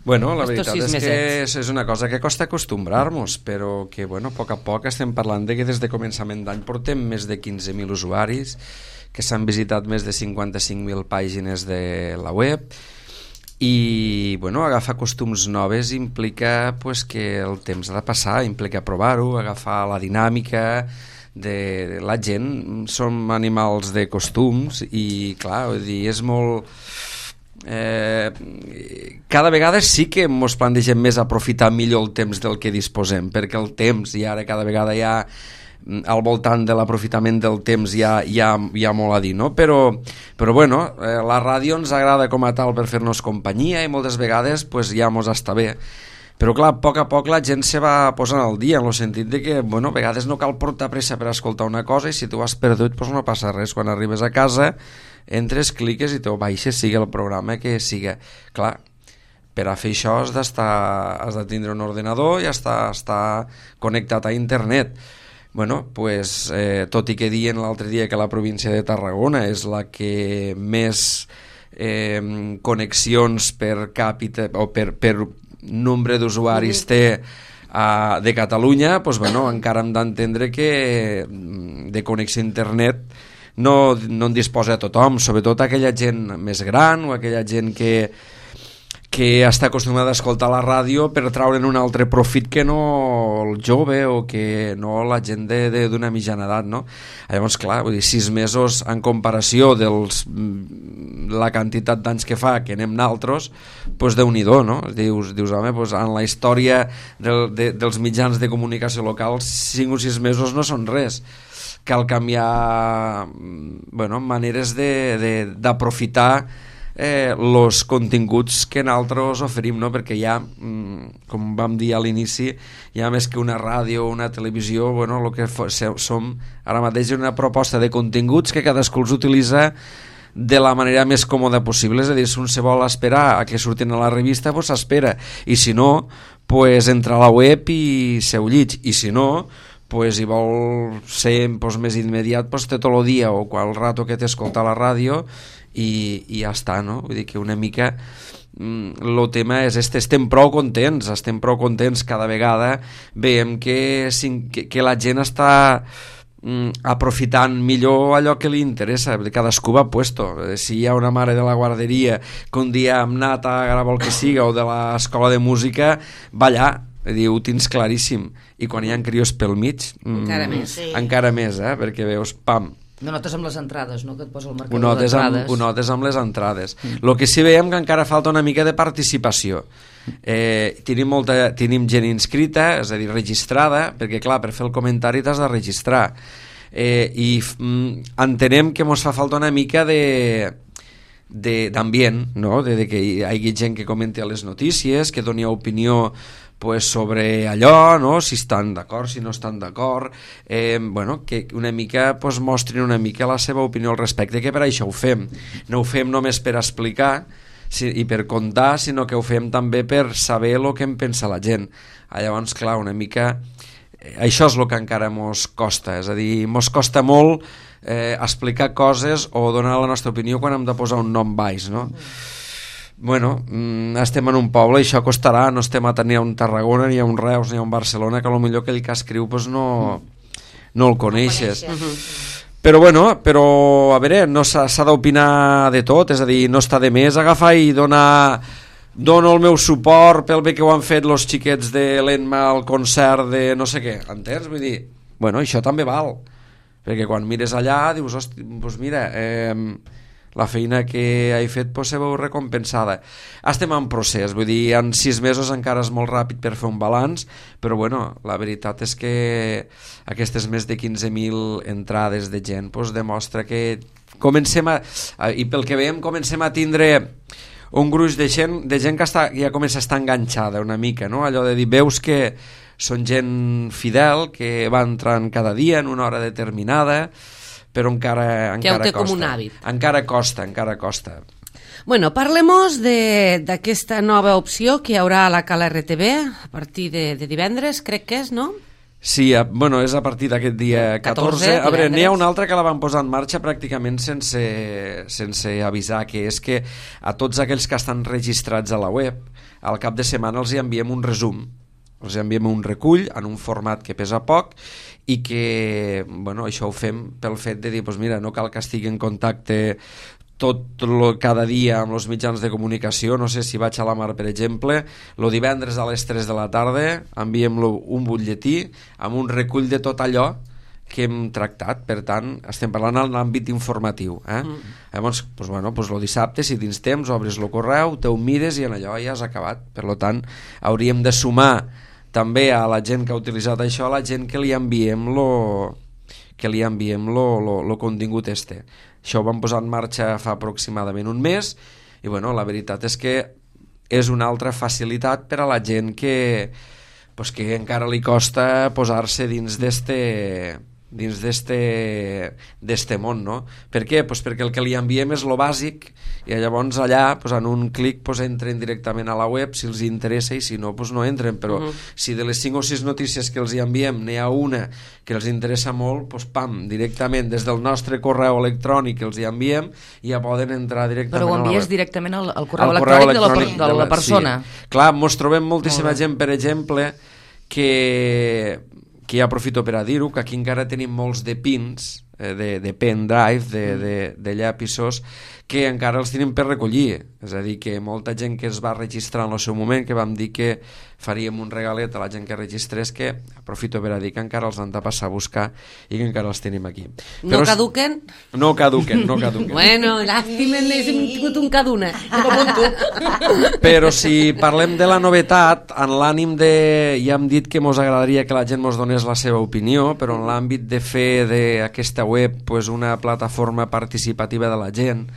Bueno, la Estos veritat és mesets. que és, és una cosa que costa acostumbrar-nos, però que, bueno, a poc a poc estem parlant de que des de començament d'any portem més de quinze mil usuaris, que s'han visitat més de cinquanta-cinc mil pàgines de la web, i bueno, agafar costums noves implica pues, que el temps ha de passar, implica provar-ho, agafar la dinàmica de la gent. Som animals de costums i clar, vull dir, és molt... Eh, cada vegada sí que ens plantegem més aprofitar millor el temps del que disposem, perquè el temps, i ara cada vegada hi ha al voltant de l'aprofitament del temps hi ha, hi ha, hi ha molt a dir, no? Però, però bueno, eh, la ràdio ens agrada com a tal per fer-nos companyia i moltes vegades pues, ja mos està bé. Però clar, a poc a poc la gent se va posant al dia, en el sentit de que, bueno, a vegades no cal portar pressa per escoltar una cosa i si tu has perdut, pues no passa res. Quan arribes a casa, entres, cliques i te ho baixes, sigui el programa que siga. Clar, per a fer això has d'estar, has de tindre un ordenador i estar, estar connectat a internet. Bueno, pues, eh, tot i que dient l'altre dia que la província de Tarragona és la que més eh, connexions per càpita o per, per nombre d'usuaris té uh, de Catalunya, doncs, bueno, encara hem d'entendre que de connexió a internet no, no en disposa tothom, sobretot aquella gent més gran o aquella gent que que està acostumada a escoltar la ràdio per traure'n un altre profit que no el jove o que no la gent d'una mitjana edat, no? Llavors, clar, vull dir, sis mesos en comparació dels la quantitat d'anys que fa que anem naltros, doncs Déu-n'hi-do, no? Dius, dius home, doncs en la història del, de, dels mitjans de comunicació locals, cinc o sis mesos no són res. Cal canviar, bueno, maneres d'aprofitar Eh, los continguts que nosaltres oferim, no? Perquè ja, com vam dir a l'inici, ja més que una ràdio o una televisió, bueno, el que som ara mateix una proposta de continguts que cadascú els utilitza de la manera més còmoda possible, és a dir, si un se vol esperar a que surtin a la revista, doncs s'espera, i si no, pues entra a la web i se ho llig, i si no, pues, si vol ser pues, més immediat, pues, té tot el dia o qual rato que t'escolta la ràdio i, i ja està, no? Vull dir que una mica el tema és este, estem prou contents, estem prou contents cada vegada, veiem que, que, que la gent està mm, aprofitant millor allò que li interessa, cadascú va puesto. Si hi ha una mare de la guarderia que un dia hem anat a gravar el que siga o de l'escola de música, va allà, ho tens claríssim, i quan hi ha crios pel mig mm, encara més, sí. encara més eh? Perquè veus, pam, no notes amb les entrades, no? Que et posa el marcador ho notes d'entrades. Amb, ho notes amb les entrades. Mm. Lo que sí veiem que encara falta una mica de participació. Eh, tenim, molta, tenim gent inscrita, és a dir, registrada, perquè clar, per fer el comentari t'has de registrar. Eh, I mm, entenem que ens fa falta una mica de d'ambient, no? De, de que hi hagi gent que comenti les notícies, que doni opinió pues, sobre allò, no? Si estan d'acord, si no estan d'acord, eh, bueno, que una mica pues, mostrin una mica la seva opinió al respecte, que per això ho fem. No ho fem només per explicar si, i per contar, sinó que ho fem també per saber el que en pensa la gent. Ah, llavors, clar, una mica... Eh, això és el que encara mos costa, és a dir, mos costa molt eh, explicar coses o donar la nostra opinió quan hem de posar un nom baix, no? Bueno, estem en un poble i això costarà, no estem a tenir un Tarragona ni a un Reus ni a un Barcelona, que potser aquell que escriu pues no, no el coneixes, no coneixes. però bueno, però a veure, no s'ha d'opinar de tot, és a dir, no està de més agafar i donar dono el meu suport pel bé que ho han fet los xiquets de l'Enma al concert de no sé què, entens? Vull dir, bueno, això també val, perquè quan mires allà dius, hosti, doncs mira, eh, la feina que he fet pues, se veu recompensada. Estem en procés, vull dir, en sis mesos encara és molt ràpid per fer un balanç, però bueno, la veritat és que aquestes més de quinze mil entrades de gent pues, demostra que comencem a, i pel que veiem comencem a tindre un gruix de gent, de gent que està, ja comença a estar enganxada una mica, no? Allò de dir, veus que són gent fidel, que va entrant cada dia en una hora determinada, però encara, encara que costa. Com un hàbit. Encara costa, encara costa. Bueno, parlem-nos d'aquesta nova opció que hi haurà a la Cala R T V a partir de, de divendres, crec que és, no? Sí, a, bueno, és a partir d'aquest dia catorze. catorze a veure, n'hi ha una altra que la van posar en marxa pràcticament sense, sense avisar, que és que a tots aquells que estan registrats a la web, al cap de setmana els hi enviem un resum. Els enviem un recull en un format que pesa poc i que, bueno, això ho fem pel fet de dir, doncs mira, no cal que estigui en contacte tot lo, cada dia amb els mitjans de comunicació. No sé si vaig a la Mar, per exemple, el divendres a les tres de la tarda enviem un butlletí amb un recull de tot allò que hem tractat. Per tant, estem parlant en l'àmbit informatiu, eh? Mm. Llavors, doncs, bueno, doncs el dissabte, si tens temps, obres el correu, te ho mires i en allò ja has acabat. Per tant, hauríem de sumar també a la gent que ha utilitzat això, a la gent que li enviem lo, que li enviem lo, lo, lo contingut este. Això ho vam posar en marxa fa aproximadament un mes i bueno, la veritat és que és una altra facilitat per a la gent que, pues, que encara li costa posar-se dins d'este dins d'este d'este món, no? Per què? Pues perquè el que li enviem és lo bàsic i llavors allà, pues, en un clic, pues, entren directament a la web si els interessa i si no, pues, no entren, però uh-huh. si de les cinc o sis notícies que els enviem n'hi ha una que els interessa molt, pues, pam, directament des del nostre correu electrònic que els enviem ja poden entrar directament però ho a la web. Però ho envies directament al, al correu, al electrònic, correu electrònic de la, de la persona. Sí. Clar, mos trobem moltíssima gent, per exemple, que... que ja aprofito per a dir-ho, que aquí encara tenim molts de pins, eh, de, de pendrive, de, de, de llapisos, que encara els tenim per recollir. És a dir, que molta gent que es va registrar en el seu moment, que vam dir que faríem un regalet a la gent que registrés, que aprofito per a dir que encara els han de passar a buscar i que encara els tenim aquí. No Però caduquen? No caduquen, no caduquen. Bueno, llàstima, n'hem tingut un caduna. Però si parlem de la novetat, en l'ànim de... Ja hem dit que mos agradaria que la gent mos donés la seva opinió, però en l'àmbit de fer d'aquesta web pues, una plataforma participativa de la gent,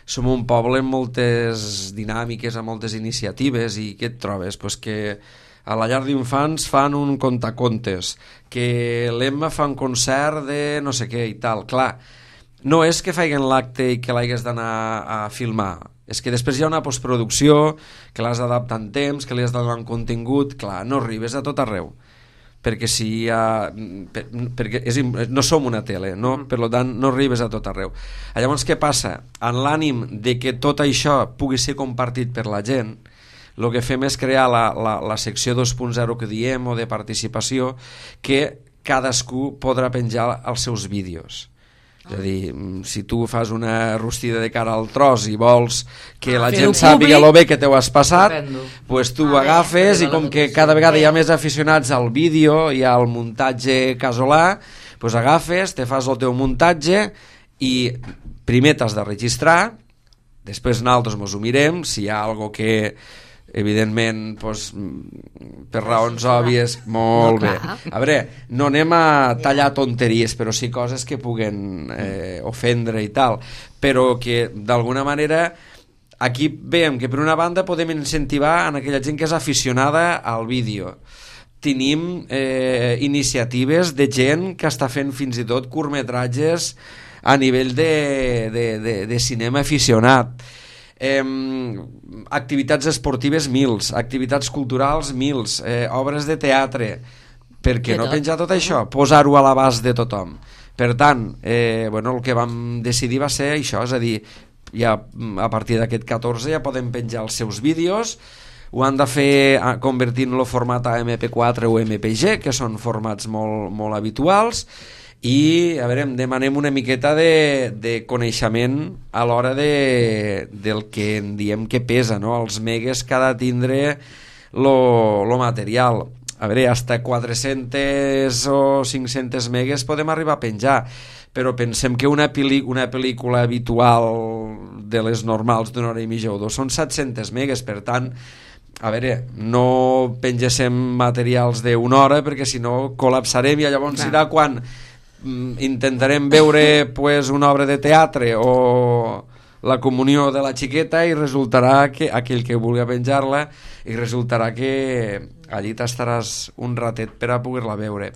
som un poble amb moltes dinàmiques, amb moltes iniciatives, i què et trobes? Pues que a la llar d'infants fan un contacontes, que l'Emma fa un concert de no sé què i tal. Clar, no és que faiguen l'acte i que l'hagués d'anar a filmar, és que després hi ha una postproducció, que l'has d'adaptar en temps, que li has de donar un contingut. Clar, no arribes a tot arreu, perquè si hi ha, per, perquè és, no som una tele, no? Mm. Per tant no arribes a tot arreu. Llavors què passa? En l'ànim de que tot això pugui ser compartit per la gent, el que fem és crear la, la, la secció dos punt zero que diem, o de participació, que cadascú podrà penjar els seus vídeos. És a dir, si tu fas una rostida de cara al tros i vols que la gent sàpiga lo bé que t'ho has passat, pues tu ho agafes i com que cada vegada hi ha més aficionats al vídeo i al muntatge casolà, pues agafes, te fas el teu muntatge i primer t'has de registrar, després nosaltres mos ho mirem, si hi ha algo que evidentment pues, per raons òbvies molt bé. A veure, no anem a tallar tonteries, però sí coses que puguen eh, ofendre i tal, però que d'alguna manera aquí veiem que per una banda podem incentivar en aquella gent que és aficionada al vídeo. Tenim eh, iniciatives de gent que està fent fins i tot curtmetratges a nivell de, de, de, de cinema aficionat. Eh, activitats esportives mils, activitats culturals mils, eh, obres de teatre. Per què no penjar tot això? Posar-ho a l'abast de tothom. Per tant, eh, bueno, el que vam decidir va ser això, és a dir, ja a partir d'aquest catorze ja poden penjar els seus vídeos, ho han de fer convertint-lo format a eme pe quatre o eme pe ge, que són formats molt, molt habituals, i a veure, demanem una miqueta de, de coneixement a l'hora de, del que en diem que pesa, no? Els megues que ha de tindre lo, lo material. A veure, hasta quatre-cents o cinc-cents megues podem arribar a penjar, però pensem que una, pel·li, una pel·lícula habitual de les normals d'una hora i mitja o dos són set-cents megues, per tant a veure, no pengéssim materials d'una hora perquè si no col·lapsarem i llavors Clar. serà quan intentarem veure pues, una obra de teatre o la comunió de la xiqueta i resultarà que aquell que vulgui penjar-la i resultarà que allí t'estaràs un ratet per a poder-la veure.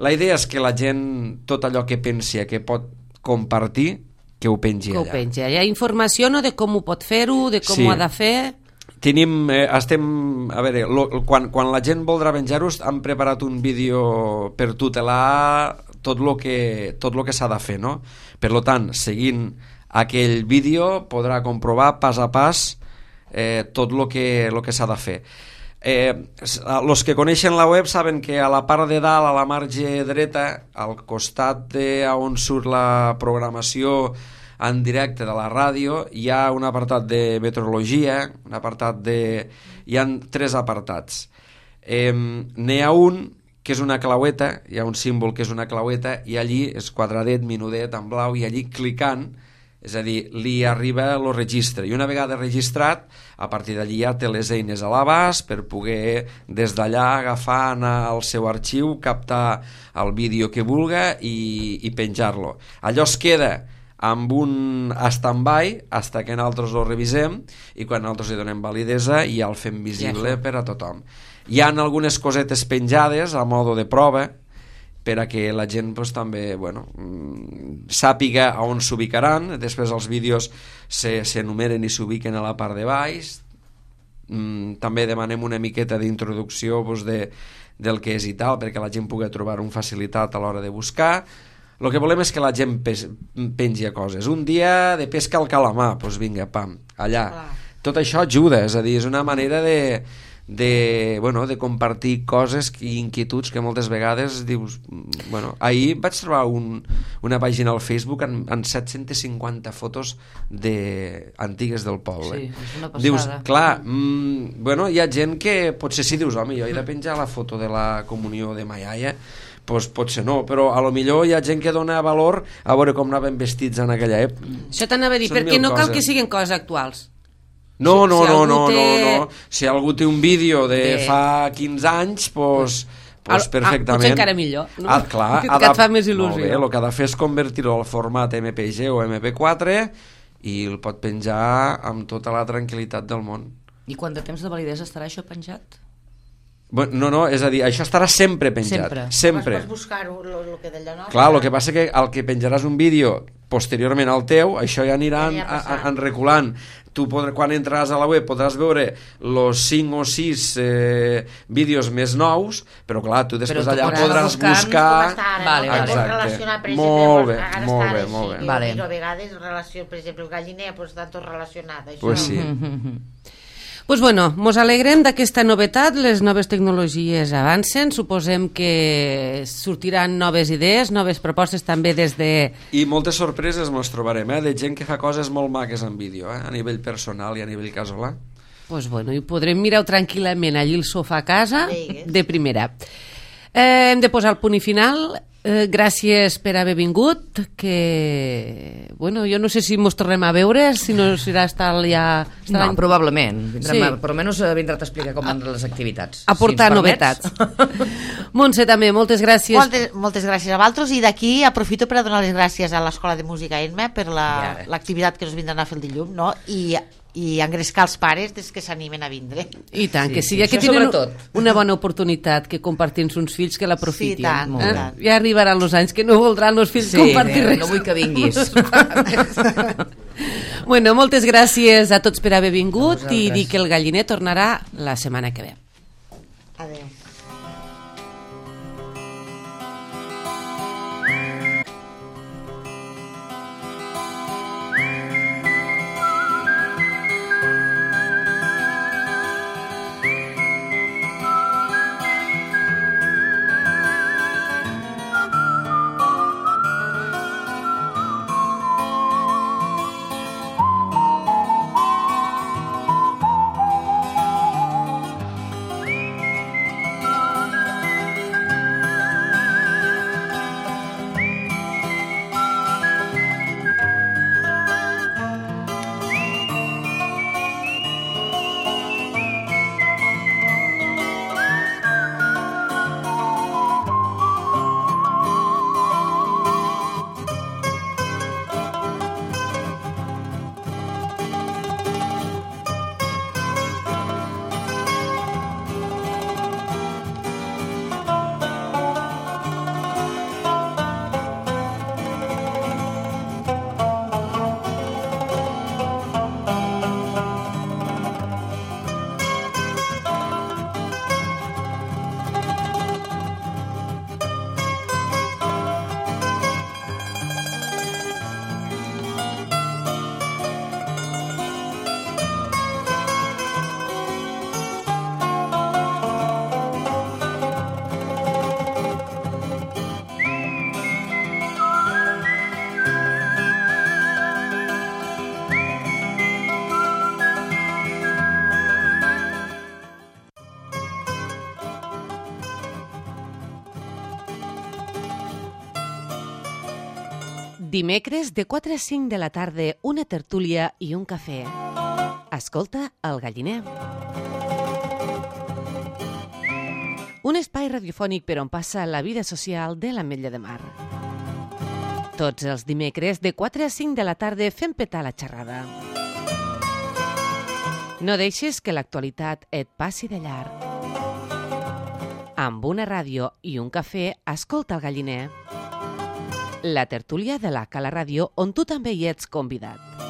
La idea és que la gent, tot allò que pensi que pot compartir, que ho pengi que allà. Ho pengi. Hi ha informació no, de com ho pot fer-ho, de com sí. ho ha de fer... Tenim, eh, estem, a veure, lo, quan, quan la gent voldrà penjar-ho, hem preparat un vídeo per tutelar tot el que, tot lo que s'ha de fer, no? Per tant, seguint aquell vídeo podrà comprovar pas a pas eh, tot el que, lo que s'ha de fer. Eh, los que coneixen la web saben que a la part de dalt, a la marge dreta, al costat de on surt la programació en directe de la ràdio, hi ha un apartat de meteorologia, un apartat de... hi ha tres apartats. Eh, n'hi ha un que és una claueta, hi ha un símbol que és una claueta, i allí és quadradet, minudet, en blau, i allí clicant, és a dir, li arriba el registre, i una vegada registrat, a partir d'allí ja té les eines a l'abast per poder des d'allà agafar, anar al seu arxiu, captar el vídeo que vulga i, i penjar-lo. Allò es queda amb un stand-by hasta que nosaltres lo revisem, i quan nosaltres li donem validesa ja el fem visible per a tothom. Hi ha algunes cosetes penjades a modo de prova per a que la gent pues, també bueno, sàpiga on s'ubicaran. Després els vídeos s'enumeren i s'ubiquen a la part de baix. També demanem una miqueta d'introducció pues, de, del que és i tal, perquè la gent pugui trobar un facilitat a l'hora de buscar. El que volem és que la gent pengi a coses. Un dia de pesca al calamar, doncs vinga, pam, allà. Tot això ajuda, és a dir, és una manera de... de, bueno, de compartir coses i inquietuds que moltes vegades dius, bueno, ahir vaig trobar un, una pàgina al Facebook amb, amb set-centes cinquanta fotos de, antigues del poble. Sí, és una passada. Dius, clar, mm, bueno, hi ha gent que potser sí dius, home, jo he de penjar la foto de la comunió de ma iaia, pues potser no, però a lo millor hi ha gent que dona valor a veure com anaven vestits en aquella època. Això t'anava a dir, Són perquè mil no cal coses. que siguin coses actuals. No, no, Si no, algú no, té- no, no. Si algú té un vídeo de, De- fa quinze anys, pues, pues Ah, perfectament. potser encara millor, no? Ah, clar, Que et fa més il·lusió. Molt bé, el que ha de fer és convertir-ho al format M P G o M P quatre i el pot penjar amb tota la tranquil·litat del món. I quant de temps de validesa estarà això penjat? Bueno, no, no, és a dir, això estarà sempre penjat. Sempre. Sempre. Pots buscar-ho, lo, lo que d'allò, no? Clar, el que passa que el que penjaràs un vídeo posteriorment al teu, això ja anirà Ja en, anirà passant. en reculant. Tu podràs, quan entraràs a la web podràs veure els cinc o sis eh, vídeos més nous, però clar, tu després Però tu allà podràs podràs buscar buscar... Com està ara, Vale, no? vale. Pots Exacte. relacionar, per Molt exemple, bé, ara molt està bé, així, molt bé. jo Vale. miro a vegades relació, per exemple, el galliner, doncs està tot relacionat. Això. Pues sí. Pues bueno, mos alegrem d'aquesta novetat, les noves tecnologies avancen, suposem que sortiran noves idees, noves propostes també des de... I moltes sorpreses mos trobarem, eh? De gent que fa coses molt maques en vídeo, eh? A nivell personal i a nivell casolà. Pues bueno, i podrem mirar tranquil·lament allí el sofà a casa Veigues. de primera. Eh, hem de posar el punt i final. Eh, gràcies per haver vingut, que bueno, jo no sé si mos tornem a veure, si no serà estar ja... Estar No, l'any- probablement. Vindrem Sí. a, per almenys eh, vindrà a explicar com van les activitats. aportar si ens novetats. permets. Montse, també, moltes gràcies. Moltes, moltes gràcies a vosaltres, i d'aquí aprofito per a donar les gràcies a l'Escola de Música Erma per la- Ja. l'activitat que ens vindran a fer el dilluns, no? I, i engrescar els pares des que s'animen a vindre. I tant, Sí, que sí, sí, ja que això tenen sobretot. una bona oportunitat que compartir amb uns fills, que l'aprofitin. Sí, tant, eh? tant. Ja arribaran els anys que no voldran els fills Sí, compartir eh, res. no vull que vinguis. Bueno, moltes gràcies a tots per haver vingut A i vosaltres. dir que el galliner tornarà la setmana que ve. Adéu. Dimecres de quatre a cinc de la tarda, una tertúlia i un cafè. Escolta El Galliner. Un espai radiofònic per on passa la vida social de l'Ametlla de Mar. Tots els dimecres de quatre a cinc de la tarda fem petar la xerrada. No deixes que l'actualitat et passi de llarg. Amb una ràdio i un cafè, escolta El Galliner. La tertúlia de la Cala Ràdio, on tu també hi ets convidat.